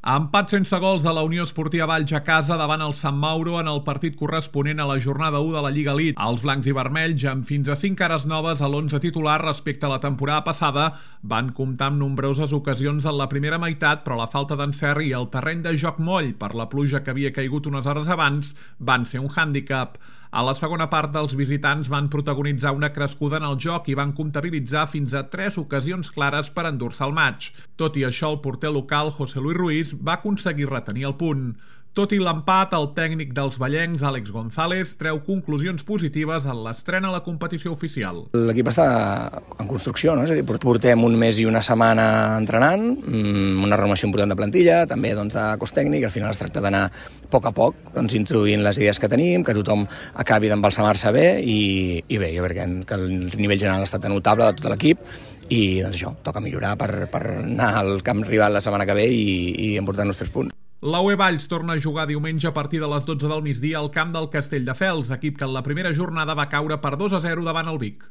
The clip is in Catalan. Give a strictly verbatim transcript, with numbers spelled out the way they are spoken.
Empat sense gols a la Unió Esportiva Valls a casa davant el Sant Mauro en el partit corresponent a la jornada u de la Lliga Elite. Els blancs i vermells, amb fins a cinc cares noves a l'onze titular respecte a la temporada passada, van comptar amb nombroses ocasions en la primera meitat, però la falta d'encert i el terreny de joc moll per la pluja que havia caigut unes hores abans van ser un hàndicap. A la segona part, els visitants van protagonitzar una crescuda en el joc i van comptabilitzar fins a tres ocasions clares per endur-se el maig. Tot i això, el porter local, José Luis Ruiz, va aconseguir retenir el punt. Tot i l'empat, el tècnic dels vallencs, Àlex González, treu conclusions positives en l'estrena a la competició oficial. L'equip està en construcció, no? És a dir, portem un mes i una setmana entrenant, una renovació important de plantilla, també doncs, de cos tècnic. Al final es tracta d'anar a poc a poc doncs, introduint les idees que tenim, que tothom acabi d'embalsamar-se bé i, i bé, jo crec que, que el nivell general ha estat notable de tot l'equip i doncs això, toca millorar per, per anar al camp rival la setmana que ve i, i emportar-nos tres punts. La U E Valls torna a jugar diumenge a partir de les dotze del migdia al camp del Castelldefels, equip que en la primera jornada va caure per dos a zero davant el Vic.